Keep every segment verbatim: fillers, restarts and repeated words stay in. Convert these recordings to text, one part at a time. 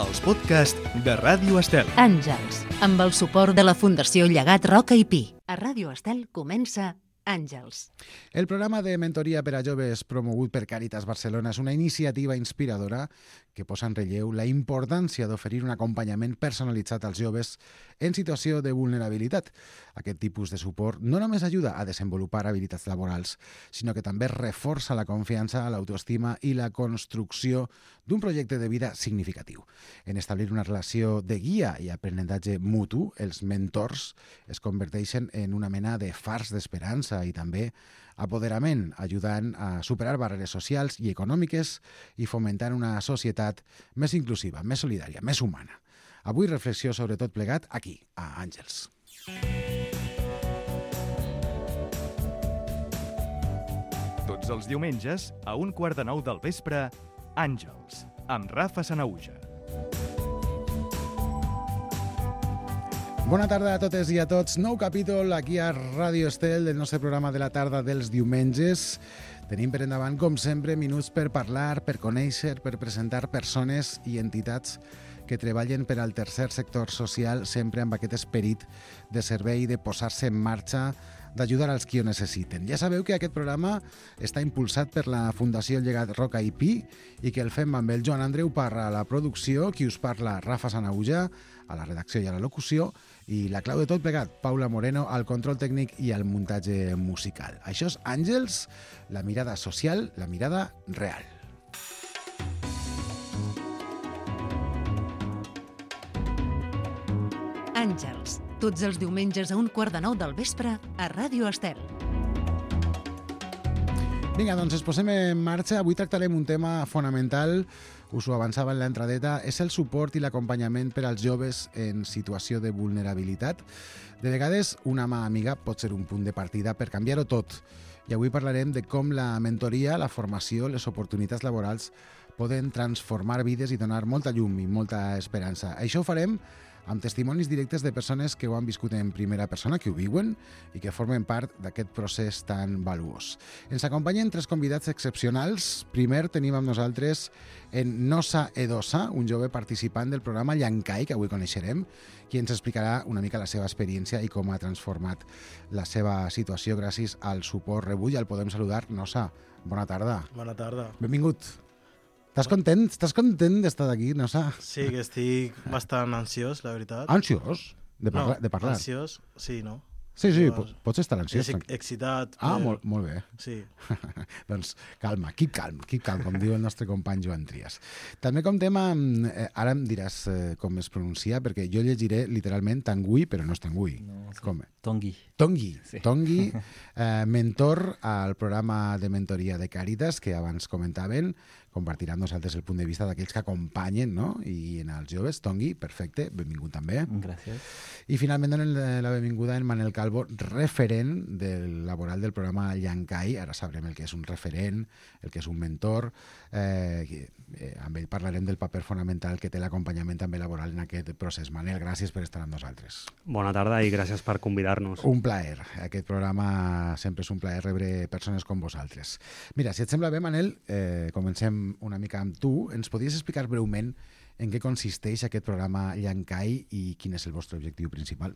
els podcasts de Ràdio Estel. Àngels, amb el suport de la Fundació Llegat Roca i Pi. A Ràdio Estel comença Àngels. El programa de mentoria per a joves promogut per Càritas Barcelona és una iniciativa inspiradora que posa en relleu la importància d'oferir un acompanyament personalitzat als joves en situació de vulnerabilitat. Aquest tipus de suport no només ajuda a desenvolupar habilitats laborals, sinó que també reforça la confiança, l'autoestima i la construcció d'un projecte de vida significatiu. En establir una relació de guia i aprenentatge mutu, els mentors es converteixen en una mena de fars d'esperança i també apoderament, ajudant a superar barreres socials i econòmiques i fomentant una societat més inclusiva, més solidària, més humana. Avui reflexió sobre tot plegat aquí, a Àngels. Tots els diumenges, a un quart de nou del vespre, Àngels, amb Rafa Sanauja. Bona tarda a totes i a tots. Nou capítol aquí a Ràdio Estel del nostre programa de la tarda dels diumenges. Tenim per endavant, com sempre, minuts per parlar, per conèixer, per presentar persones i entitats que treballen per al tercer sector social, sempre amb aquest esperit de servei, de posar-se en marxa, d'ajudar als qui ho necessiten. Ja sabeu que aquest programa està impulsat per la Fundació Llegat Roca i Pi i que el fem amb el Joan Andreu Parra a la producció, qui us parla Rafa Sanauja, a la redacció i a la locució, i la clau de tot plegat, Paula Moreno, al control tècnic i al muntatge musical. Això és Àngels, la mirada social, la mirada real. Àngels, tots els diumenges a un quart de nou del vespre a Ràdio Estel. Vinga, doncs ens posem en marxa. Avui tractarem un tema fonamental, us ho avançava en l'entradeta, és el suport i l'acompanyament per als joves en situació de vulnerabilitat. De vegades, una mà amiga pot ser un punt de partida per canviar-ho tot. I avui parlarem de com la mentoria, la formació, les oportunitats laborals poden transformar vides i donar molta llum i molta esperança. Això ho farem amb testimonis directes de persones que ho han viscut en primera persona, que ho viuen i que formen part d'aquest procés tan valuós. Ens acompanyen tres convidats excepcionals. Primer tenim amb nosaltres en Nosa Edosa, un jove participant del programa Llankai, que avui coneixerem, qui ens explicarà una mica la seva experiència i com ha transformat la seva situació gràcies al suport rebut. I el podem saludar. Nosa, bona tarda. Bona tarda. Benvingut. Estàs content? Estàs content d'estar aquí, Nosa? Sí, que estic bastant ansiós, la veritat. Ansiós? De, parla, no, de parlar? ansiós, sí, no? Sí, sí, Llavors, pots estar ansiós. És excitat. Ah, però... molt, molt bé. Sí. Doncs calma, keep calm, keep calm, com diu el nostre company Joan Trias. També comptem amb... Eh, ara em diràs eh, com es pronuncia, perquè jo llegiré literalment Tanguy, però no és Tanguy. No, sí. Com? Tongui. Tongui. Sí. Tongui, eh, mentor al programa de mentoria de Càritas, que abans comentaven, compartirà amb nosaltres el punt de vista d'aquells que acompanyen, no? I en els joves. Tongui, perfecte, benvingut també. Gràcies. I finalment donen la benvinguda en Manel Calvo, referent del laboral del programa Llankai. Ara sabrem el que és un referent, el que és un mentor. Eh, eh, amb ell parlarem del paper fonamental que té l'acompanyament també laboral en aquest procés. Manel, gràcies per estar amb nosaltres. Bona tarda i gràcies per convidar-nos. Un plaer. Aquest programa sempre és un plaer rebre persones com vosaltres. Mira, si et sembla bé, Manel, eh, comencem una mica amb tu. Ens podries explicar breument en què consisteix aquest programa Llankai i quin és el vostre objectiu principal?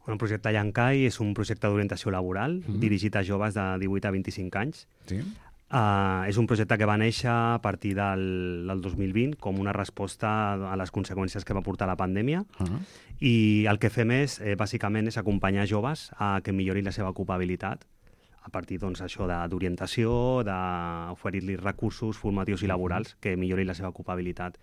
Bueno, el projecte Llankai és un projecte d'orientació laboral mm-hmm. dirigit a joves de divuit a vint-i-cinc anys. Sí. Uh, és un projecte que va néixer a partir del, del dos mil vint com una resposta a les conseqüències que va portar la pandèmia uh-huh. i el que fem és, eh, bàsicament, és acompanyar joves a que millorin la seva ocupabilitat a partir doncs, això d'orientació, d'oferir-li recursos formatius i laborals que millorin la seva ocupabilitat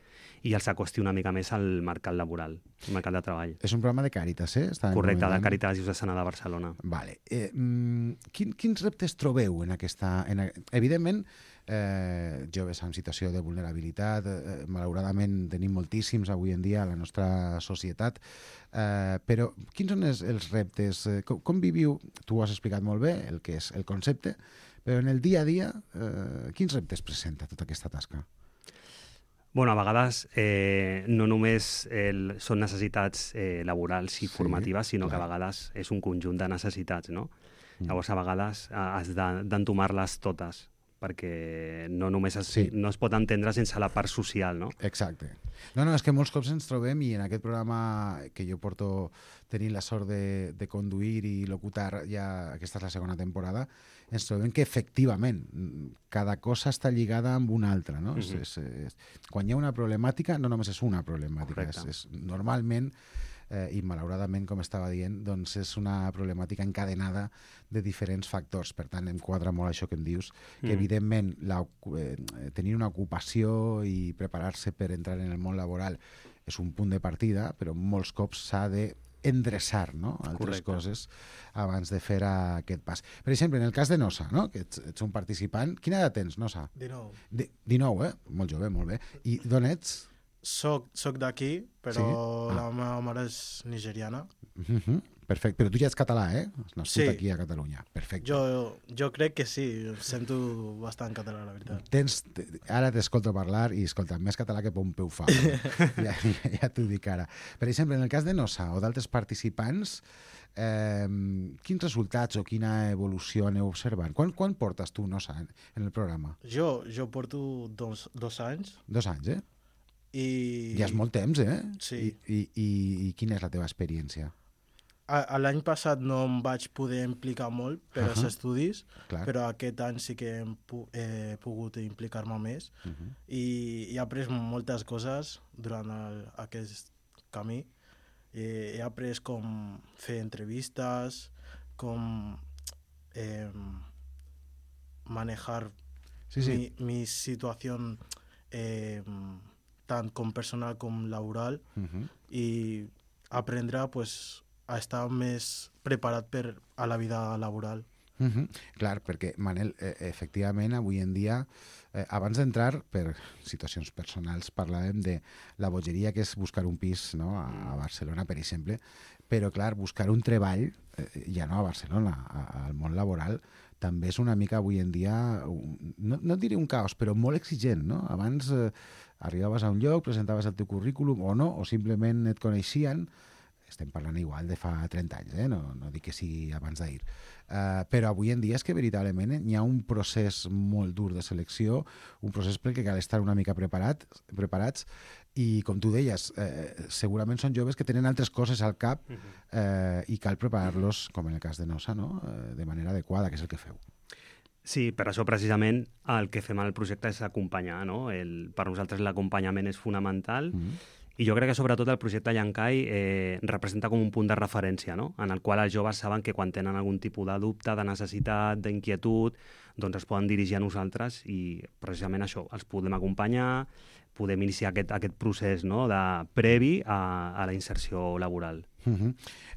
i els acosti una mica més al mercat laboral, al mercat de treball. És un programa de Càritas, eh? Està Correcte, de Càritas Diocesana de Barcelona. Vale. Eh, mm, quin, quins reptes trobeu en aquesta... En, evidentment, eh, joves en situació de vulnerabilitat, eh, malauradament tenim moltíssims avui en dia a la nostra societat, eh, però quins són els, els reptes? Eh, com, com viviu? Tu ho has explicat molt bé, el que és el concepte, però en el dia a dia, eh, quins reptes presenta tota aquesta tasca? Bueno, a vegades eh, no només el, són necessitats eh, laborals i sí, formatives, sinó clar. que a vegades és un conjunt de necessitats, no? Mm. Llavors, a vegades has d'entomar-les totes, perquè no només es, sí. no es pot entendre sense la part social, no? Exacte. No, no, és que molts cops ens trobem i en aquest programa que jo porto tenint la sort de, de conduir i locutar, ja aquesta és la segona temporada, ens trobem que efectivament cada cosa està lligada amb una altra, no? Mm-hmm. és, és, és, quan hi ha una problemàtica, no només és una problemàtica, és, és, normalment eh, i malauradament, com estava dient, doncs és una problemàtica encadenada de diferents factors. Per tant, em quadra molt això que em dius, que Mm. evidentment la, eh, tenir una ocupació i preparar-se per entrar en el món laboral és un punt de partida, però molts cops s'ha de endreçar, no? Altres Correcte. coses abans de fer aquest pas. Per exemple, en el cas de Nosa, no? Que ets, ets un participant, quina edat tens, Nosa? dinou. De, dinou, eh? Molt jove, molt bé. I d'on ets? Soc, soc d'aquí, però Sí? Ah. la meva mare és nigeriana. Uh-huh. Perfecte, però tu ja ets català, eh? Has nascut Sí. aquí a Catalunya. Perfecte. Jo, jo crec que sí, em sento bastant català, la veritat. Tens, ara t'escolto parlar i, escolta, més català que Pompeu Fabra. ja ja, ja t'ho dic ara. Per exemple, en el cas de Nosa o d'altres participants, eh, quins resultats o quina evolució aneu observant? Quan, quan portes tu, Nosa, en, en el programa? Jo, jo porto dos, dos anys Dos anys, eh? i... Ja és molt temps, eh? Sí. I, i, i, i quina és la teva experiència? A, a l'any passat no em vaig poder implicar molt per als Ahà. estudis, Clar. però aquest any sí que hem pu he pogut implicar-me més Uh-huh. i he après moltes coses durant el, aquest camí. Eh, he après com fer entrevistes, com eh, manejar Sí, sí. mi, mi situació eh, tant com personal com laboral Uh-huh. i aprendre pues, a estar més preparat per a la vida laboral. Uh -huh. Clar, perquè, Manel, eh, efectivament, avui en dia, eh, abans d'entrar, per situacions personals, parlàvem de la bogeria que és buscar un pis, no?, a, a Barcelona, per exemple, però, clar, buscar un treball, eh, ja no a Barcelona, a, al món laboral, també és una mica avui en dia, un, no, no et diré un caos, però molt exigent, no? Abans eh, arribaves a un lloc, presentaves el teu currículum o no, o simplement et coneixien. Estem parlant igual de fa trenta anys, eh? no, no dic que sigui abans d'ahir. Uh, però avui en dia és que veritablement hi ha un procés molt dur de selecció, un procés pel que cal estar una mica preparat, preparats, i com tu deies, eh, segurament són joves que tenen altres coses al cap eh, i cal preparar-los, com en el cas de Nosa, no? eh, de manera adequada, que és el que feu. Sí, per això precisament el que fem al projecte és acompanyar, no? El, per nosaltres l'acompanyament és fonamental. Mm-hmm. I jo crec que sobretot el projecte Llankai eh, representa com un punt de referència, no? En el qual els joves saben que quan tenen algun tipus de dubte, de necessitat, d'inquietud, doncs es poden dirigir a nosaltres i precisament això, els podem acompanyar, podem iniciar aquest, aquest procés, no?, de previ a, a la inserció laboral. Uh-huh.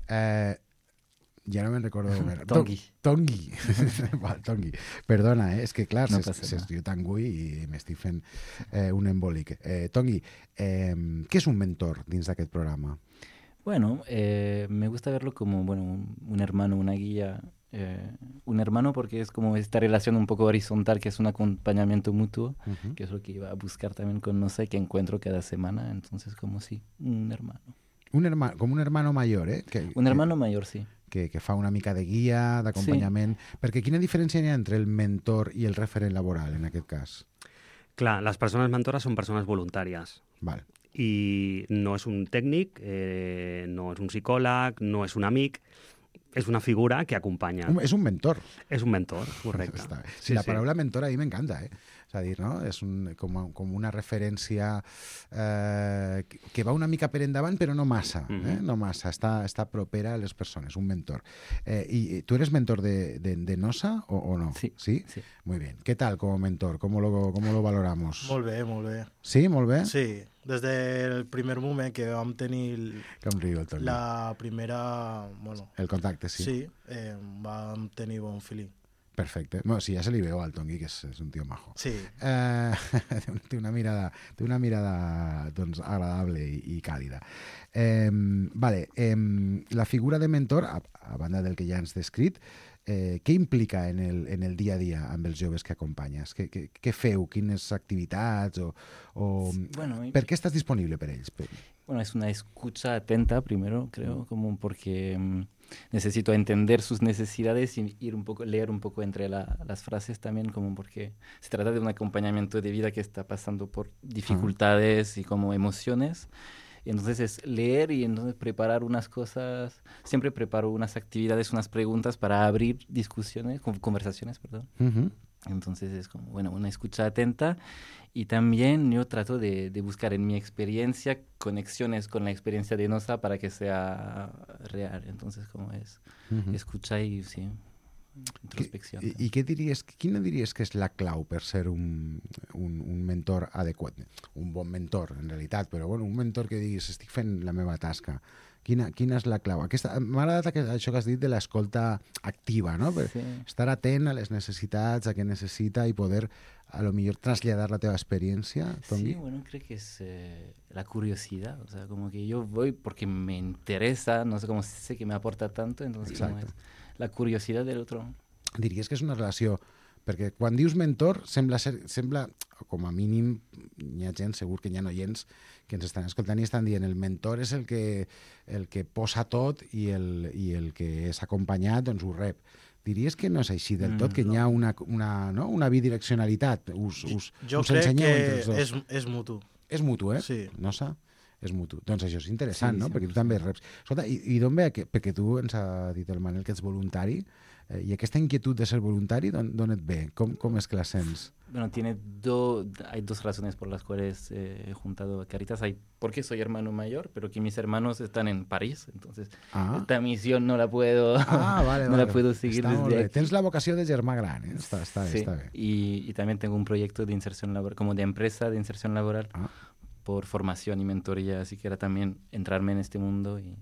eh, ja no me'n recordo. Tongui. Tongui. Val, Tongui. Perdona, eh? és que clar, No no passa s'es nada. diu Tangui i m'estic fent eh, un embòlic. Eh, Tongui, eh, què és un mentor dins d'aquest programa? Bueno, eh, me gusta verlo como, bueno, un, un hermano, una guía, eh, un hermano porque es como esta relación un poco horizontal, que es un acompañamiento mutuo, Uh-huh. que es lo que iba a buscar también con No sé, que encuentro cada semana, entonces como sí, un hermano. Un hermano, com un hermano mayor, eh? Que, Un hermano mayor, sí. que, que fa una mica de guia, d'acompanyament. Sí. Perquè quina diferència hi ha entre el mentor i el referent laboral, en aquest cas? Clar, les persones mentores són persones voluntàries. Val. I no és un tècnic, eh, no és un psicòleg, no és un amic, és una figura que acompanya. Un, és un mentor. És un mentor, correcte. Està bé. Sí, la paraula mentor a mi m'encanta, eh? És a dir, no? És un, com, a- com una referència eh, que- que va una mica per endavant, però no massa, eh? Mhm. No massa, està, està propera a les persones, un mentor. Eh, I tu eres mentor de, de, de Nosa o, o no? Sí, ¿Sí? sí. Muy bien. ¿Qué tal como mentor? ¿Cómo lo, cómo lo valoramos? Molt bé, molt bé. Sí, molt bé? Sí, des del primer moment que vam tenir Que em riu el Toni. la primera... Bueno, El contacte, sí. sí, eh, vam tenir bon feeling. Perfecte. Bueno, sí, ja se li veu al Tongui, que és, és un tio majo. Sí, Eh, té una- té una mirada, té una mirada doncs, agradable i, i càlida. Eh, vale, eh, la figura de mentor, a, a banda del que ja ens descrit, eh, què implica en el, en el dia a dia amb els joves que acompanyes? Què, què, què feu? Quines activitats? O, o... Bueno, ¿Per qué estás disponible para ellos? Bueno, es una escucha atenta primero, creo, como porque um, necesito entender sus necesidades y ir un poco, leer un poco entre la, las frases también, como porque se trata de un acompañamiento de vida que está pasando por dificultades uh-huh. y como emociones. Y entonces es leer y entonces preparar unas cosas, siempre preparo unas actividades, unas preguntas para abrir discusiones, conversaciones, perdón. Uh-huh. Entonces es como, bueno, una escucha atenta y también yo trato de, de buscar en mi experiencia conexiones con la experiencia de Nosa para que sea real. Entonces, como es, uh-huh. escucha y sí, introspección. I, i què diries, quina diries que és la clau per ser un, un, un mentor adequat? Un bon mentor, en realitat, però bueno, un mentor que diguis, estic fent la meva tasca. Quina, quina és la clau? M'ha agradat això que has dit de l'escolta activa, no? Per sí. Estar atent a les necessitats, a què necessita i poder, a lo millor, traslladar la teva experiència. Sí, bueno, creo que es eh, la curiosidad. O sea, como que yo voy porque me interesa, no sé cómo sé que me aporta tanto, entonces como es la curiosidad del otro. Diries que és una relació... Perquè quan dius mentor, sembla, ser, sembla com a mínim, hi ha gent, segur que hi ha oients que ens estan escoltant i estan dient el mentor és el que, el que posa tot i el, i el que és acompanyat doncs ho rep. Diries que no és així del tot, que hi ha una, una, no? una bidireccionalitat. Us, us, jo us crec que és, és mutu. És mutu, eh? Sí. No sa? És mutu. Doncs això és interessant, sí, no? sí, Perquè sí. tu també reps. Escolta, i, i d'on ve? Perquè tu ens ha dit el Manel que ets voluntari, eh, i aquesta inquietud de ser voluntari, d'on et ve? Com, com és que la sents? Bueno, tiene do, hay dos razones por las cuales eh, he juntado a Caritas. Hay porque soy hermano mayor, pero que mis hermanos están en París, entonces ah. esta misión no la puedo, ah, vale, no vale. la puedo seguir está desde aquí. Tens la vocació de germà gran, eh? Està, està bé, sí. està bé. Y, y también tengo un proyecto de inserción laboral, como de empresa de inserción laboral, ah. por formación y mentoría, así que era también entrarme en este mundo y...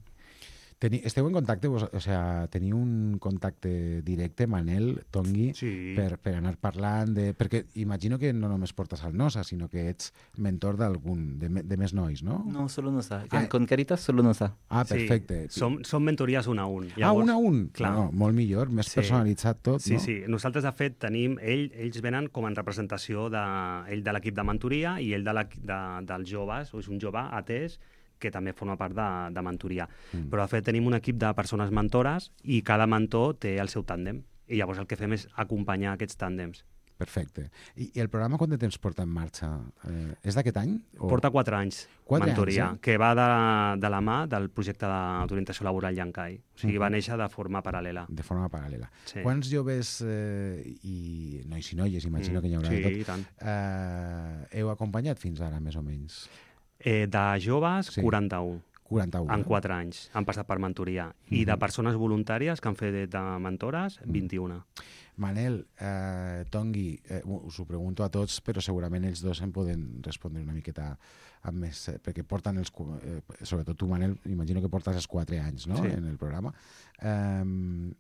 Teni, esteu en contacte, vos, o sea, teniu un contacte directe, Manel, Tongui, sí. per, per anar parlant de... Perquè imagino que no només portes al Nosa, sinó que ets mentor d'algun, de, de més nois, no? No, solo Nosa. Ah, con Caritas solo Nosa. Ah, perfecte. Sí. Som, som mentories un a un. Llavors, ah, un a un? Clar. No, molt millor, més sí. personalitzat tot, sí, no? Sí, sí. Nosaltres, de fet, tenim... Ell, ells venen com en representació de, ell de l'equip de mentoria i ell de, la, de dels joves, o és un jove atès, que també forma part de, de mentoria. Mm. Però, de fet, tenim un equip de persones mentores i cada mentor té el seu tàndem. I llavors el que fem és acompanyar aquests tàndems. Perfecte. I, i el programa quant de temps porta en marxa? Eh, és d'aquest any? O... Porta quatre anys, quatre mentoria, anys, eh? que va de, de la mà del projecte d'orientació laboral Llancai. O sigui, uh-huh. va néixer de forma paral·lela. De forma paral·lela. Sí. Quants joves eh, i nois i noies, imagino mm, que hi haurà sí, de tot, i tant. Eh, heu acompanyat fins ara, més o menys? Eh, de joves, sí. quaranta-u. quaranta-u. En quatre anys han passat per mentoria. I mm-hmm. de persones voluntàries que han fet de mentores, vint-i-una. Manel, eh, Tongui, eh, us ho pregunto a tots, però segurament ells dos em poden respondre una miqueta amb més, eh, perquè porten els... Eh, sobretot tu, Manel, imagino que portes els quatre anys, no?, sí. en el programa. Eh,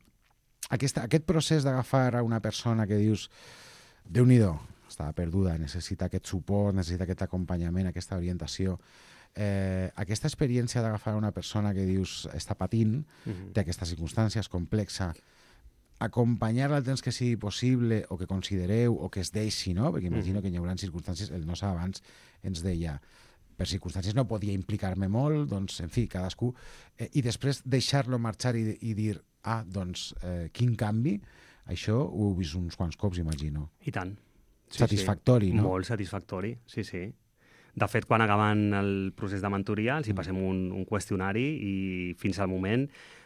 aquesta, aquest procés d'agafar a una persona que dius, Déu-n'hi-do, estava perduda, necessita aquest suport, necessita aquest acompanyament, aquesta orientació... Eh, aquesta experiència d'agafar una persona que dius està patint, uh-huh. té aquestes circumstàncies complexa, acompanyar-la el temps que sigui possible o que considereu o que es deixi, no? Perquè imagino uh-huh. que hi haurà circumstàncies, el Nosa abans ens deia, per circumstàncies no podia implicar-me molt, doncs, en fi, cadascú, eh, i després deixar-lo marxar i, i dir, ah, doncs, eh, quin canvi, això ho he vist uns quants cops, imagino. I tant. Sí, satisfactori, sí. no? Molt satisfactori, sí, sí. De fet, quan acabant el procés de mentoria, els hi passem un, un qüestionari i fins al moment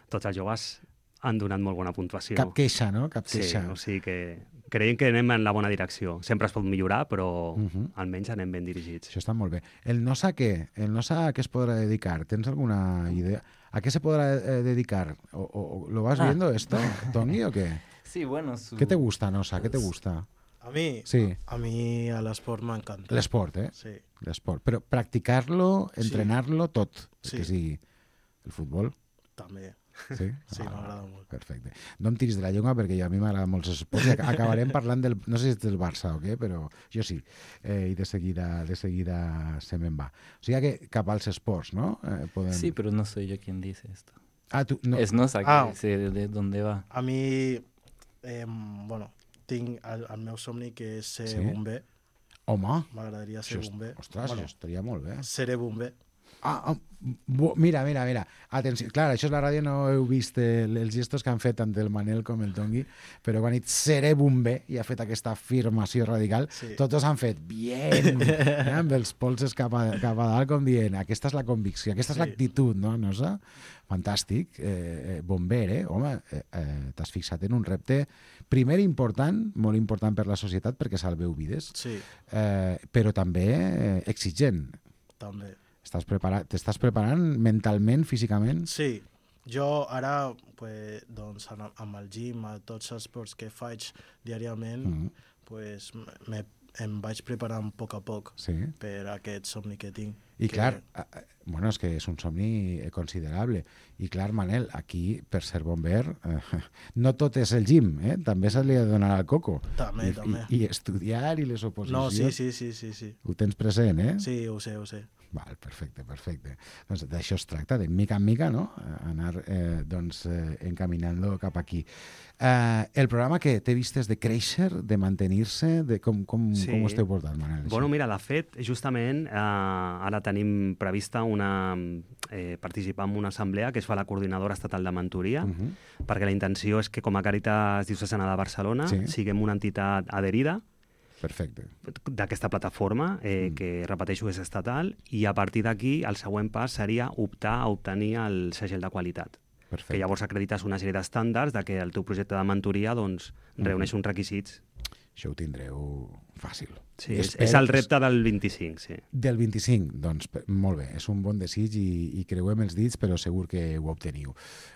tots els joves han donat molt bona puntuació. Cap queixa, no? Cap queixa. Sí, o sigui que creiem que anem en la bona direcció. Sempre es pot millorar, però uh-huh. almenys anem ben dirigits. Això està molt bé. El Nosa què? El Nosa a què es podrà dedicar? Tens alguna idea? ¿A qué se podrá eh, dedicar? ¿O, o, ¿Lo vas ah. viendo esto, Tongui, o qué? Sí, bueno. Su... ¿Qué te gusta, Nosa? ¿Qué te gusta? A mí, sí. a, a mí el esport m'encanta. L'esport, eh? Sí. L'esport. Però practicar-lo, entrenar-lo, sí. tot. Sí. Que sigui el futbol. També. Sí? Sí, ah, m'agrada molt. Perfecte. No em tiris de la llengua perquè a mi m'agrada molt els esports i acabarem parlant del... No sé si és del Barça o què, però jo sí. Eh, I de seguida, de seguida se me'n va. O sigui que cap als esports, no? Eh, podem... Sí, però no soy yo quien dice esto. Ah, tu... No. Es Nosa que ah. dice de, de dónde va. A mí... Eh, bueno, tinc el, el meu somni que és ser Sí? bomber. Home, M'agradaria ser això, bomber. ostres, bueno, això estaria molt bé. seré bomber. Ah, ah, bo, mira, mira, mira. Atenció, clar, això és la ràdio, no heu vist el, els gestos que han fet tant el Manel com el Tongui, però quan ha dit seré bomber i ha fet aquesta afirmació radical, Sí. tots han fet bien, eh, amb els polses cap a, cap a dalt, com dient, aquesta és la convicció, aquesta és Sí. l'actitud, no, Nosa? Fantàstic. Eh, eh, bomber, eh? Home, eh, eh, t'has fixat en un repte, primer important, molt important per la societat, perquè salveu vides, Sí, eh, però també eh, exigent. també. Estàs preparat, t'estàs preparant mentalment, físicament? Sí, jo ara, pues, doncs, amb amb el gym, a tots els esports que faig diàriament, Mm. pues, me, em vaig preparant a poc a poc Sí. per aquest somni que tinc. I que, clar, eh, eh, bueno, és que és un somni eh, considerable. I clar, Manel, aquí, per ser bomber, eh, no tot és el gym, eh? També se li ha de donar al coco. També, I, també. I, I estudiar i les oposicions. No, sí, sí, sí, sí, sí. Ho tens present, eh? Sí, ho sé, ho sé. Val, perfecte, perfecte. Doncs d'això es tracta, de mica en mica, no? Anar eh, doncs, eh, encaminant-lo cap aquí. Eh, el programa que té vistes de créixer, de mantenir-se, de com, com, Sí. com ho esteu portant, Manel? això? Bueno, mira, de fet, justament eh, ara tenim prevista una, eh, participar en una assemblea que es fa a la Coordinadora Estatal de Mentoria, Uh -huh. perquè la intenció és que com a Càritas Diocesana de Barcelona Sí. siguem una entitat adherida Perfecte. d'aquesta plataforma, eh, Mm. que, repeteixo, és estatal, i a partir d'aquí el següent pas seria optar a obtenir el segell de qualitat. Perfecte. Que llavors acredites una sèrie d'estàndards de que el teu projecte de mentoria doncs, reuneix uns requisits. Això ho tindreu fàcil. Sí, I és, espero és el que- repte del vint-i-cinc, sí. Del vint-i-cinc, doncs pe- molt bé, és un bon desig i, i creuem els dits, però segur que ho obteniu.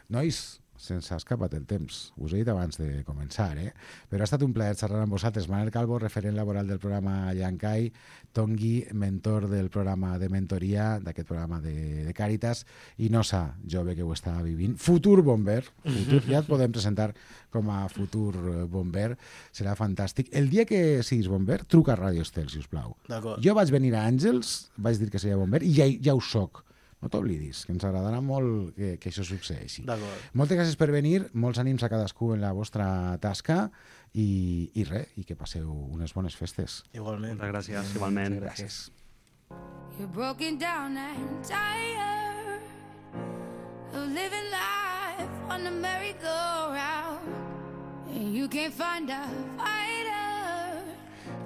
Nois, se'ns ha escapat el temps, us he dit abans de començar, eh? Però ha estat un plaer xerrar amb vosaltres. Manel Calvo, referent laboral del programa Llancai, Tongui, mentor del programa de mentoria, d'aquest programa de, de Càritas, i Nosa, jove que ho està vivint, futur bomber, futur, ja et podem presentar com a futur eh, bomber, serà fantàstic. El dia que siguis bomber, truca a Ràdio Estel, si us plau. D'acord. Jo vaig venir a Àngels, vaig dir que seria bomber, i ja, ja ho soc. No t'oblidis, que ens agradarà molt que, que això succeeixi. D'acord. Moltes gràcies per venir, molts ànims a cadascú en la vostra tasca i, i res, i que passeu unes bones festes. Igualment. Moltes gràcies, igualment. Gràcies. You're broken down and tired of living life on the merry-go-round, and you can't find a fighter.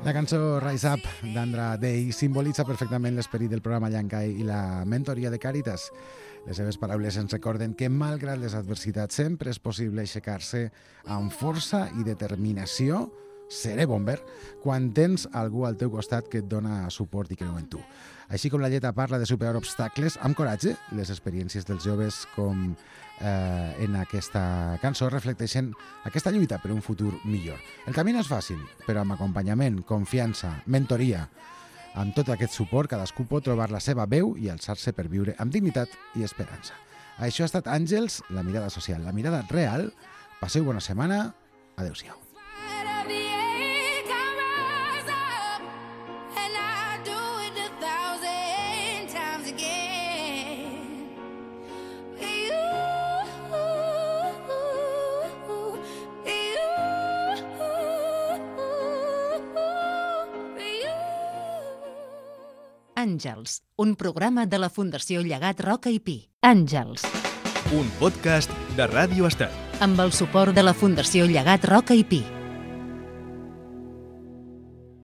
La cançó Rise Up d'Andra Day simbolitza perfectament l'esperit del programa Llancai i la mentoria de Càritas. Les seves paraules ens recorden que, malgrat les adversitats, sempre és possible aixecar-se amb força i determinació. Seré bomber quan tens algú al teu costat que et dona suport i creu en tu. Així com la lletra parla de superar obstacles amb coratge, les experiències dels joves com eh, en aquesta cançó reflecteixen aquesta lluita per un futur millor. El camí no és fàcil, però amb acompanyament, confiança, mentoria, amb tot aquest suport, cadascú pot trobar la seva veu i alçar-se per viure amb dignitat i esperança. Això ha estat Àngels, la mirada social, la mirada real. Passeu bona setmana. Adéu-siau. Fight of the air, come rise up, and I do it a thousand times again. You, you, you. Àngels, un programa de la Fundació Llegat Roca i Pi. Àngels, Un podcast de Ràdio Estel. amb el suport de la Fundació Llegat Roca i Pi.